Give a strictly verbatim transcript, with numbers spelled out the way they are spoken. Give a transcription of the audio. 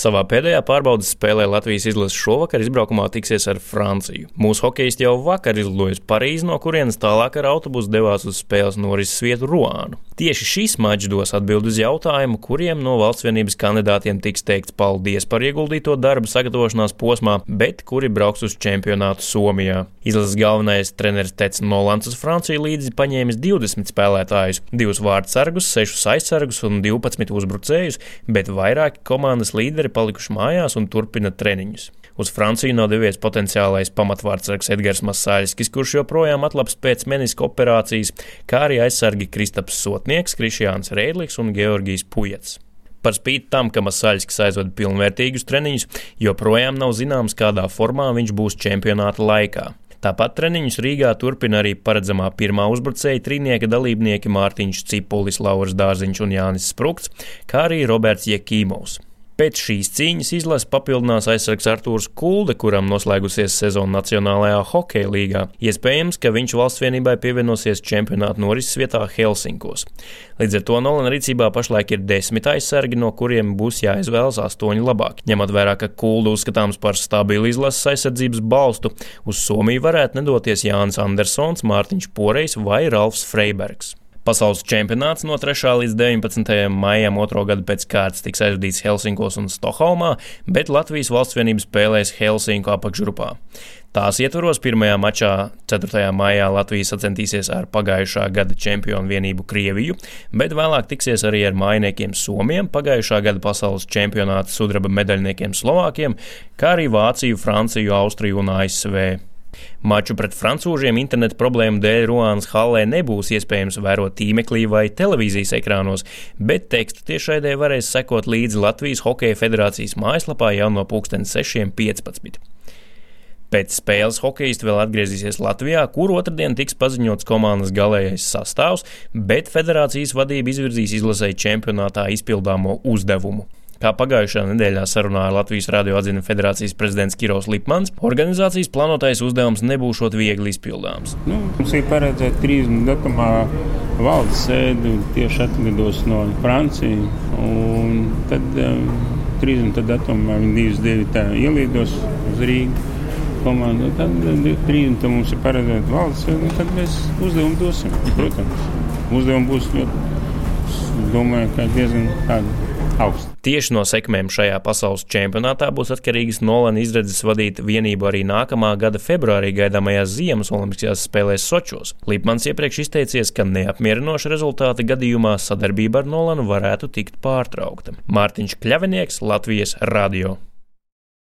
Savā pēdējā pārbaudes spēlē Latvijas izlase šovakar izbraukumā tiksies ar Franciju. Mūsu hokejisti jau vakar izlidoja uz Parīzi, no kurienes tālāk ar autobusu devās uz spēles norises vietu Ruānu. Tieši šis mačs dos atbildi uz jautājumu, kuriem no valsts vienības kandidātiem tiks teikts paldies par ieguldīto darbu sagatavošanās posmā, bet kuri brauks uz čempionātu Somijā. Izlases galvenais treneris Tets Nolans uz Franciju līdzi paņēmis divdesmit spēlētājus, divus vārdsargus, sešus aizsargus un divpadsmit uzbrucējus, bet vairāki komandas līderi palikuši mājās un turpina treniņus. Uz Franciju nav devies potenciālais pamatvārdsargs Edgars Masaļskis, kurš joprojām atlaps pēc meniska operācijas, kā arī aizsargi Kristaps Sotnieks, Krišjāns Reidliks un Georgijs Pujats. Par spīti tam, ka Masaļskis aizvada pilnvērtīgus treniņus, joprojām nav zināms, kādā formā viņš būs čempionāta laikā. Tāpat treniņus Rīgā turpina arī paredzamā pirmā uzbrucēja trīnieka dalībnieki Mārtiņš Cipulis, Lauris Dārziņš un Jānis Sprukts, kā arī Roberts Jekīmovs. Pēc šīs cīņas izlase papildinās aizsargs Artūrs Kulde, kuram noslēgusies sezona Nacionālajā hokeja līgā. Iespējams, ka viņš valsts vienībai pievienosies čempionāta norises vietā Helsinkos. Līdz ar to Nolana rīcībā pašlaik ir desmit aizsargi, no kuriem būs jāizvēlas astoņi labāki. Ņemot vērā, ka Kulde uzskatāms par stabilu izlases aizsardzības balstu, uz Somiju varētu nedoties Jānis Andersons, Mārtiņš Porejs vai Ralfs Freibergs. Pasaules čempionāts no trešā līdz deviņpadsmitajam maijam otro gadu pēc kārtas tiks aizvadīts Helsinkos un Stokholmā, bet Latvijas valsts vienība spēlēs Helsinku apakšgrupā. Tās ietvaros pirmajā mačā ceturtajā maijā Latvija sacentīsies ar pagājušā gada čempionu vienību Krieviju, bet vēlāk tiksies arī ar mājiniekiem Somiem, pagājušā gada pasaules čempionāta sudraba medaļniekiem Slovākiem, kā arī Vāciju, Franciju, Austriju un A S V. Maču pret francūžiem interneta problēmu dēļ Ruānas hallē nebūs iespējams vērot tīmeklī vai televīzijas ekrānos, bet tekstu tiešraidē varēs sekot līdzi Latvijas Hokeja federācijas mājaslapā jau no pulksten sešiem piecpadsmit. Pēc spēles hokejisti vēl atgriezīsies Latvijā, kur otrdien tiks paziņots komandas galējais sastāvs, bet federācijas vadība izvirzīs izlasei čempionātā izpildāmo uzdevumu. Kā pagājušā nedēļā sarunā ar Latvijas radio atzina federācijas prezidents Kirovs Lipmans, organizācijas plānotais uzdevums nebūšot viegli izpildāms. Nu, mums ir paredzēta trīsdesmit datumā valdes sēde, tieši atlidos no Francijas, un tad um, trīsdesmit datumā viņi divas divi ielīdos uz Rīgu komandu, tad trīsdesmit mums ir paredzēta valdes sēde, un tad mēs uzdevumu dosim, protams. Uzdevumu būs ļoti, domāju, ka diezgan tādi augsti. Tieši no sekmēm šajā pasaules čempionātā būs atkarīgas Nolana izredzes vadīt vienību arī nākamā gada februārī gaidāmajās ziemas olimpiskajās spēlēs Sočos. Lipmans iepriekš izteicies, ka neapmierinoša rezultāta gadījumā sadarbība ar Nolanu varētu tikt pārtraukta. Mārtiņš Kļavinieks, Latvijas radio.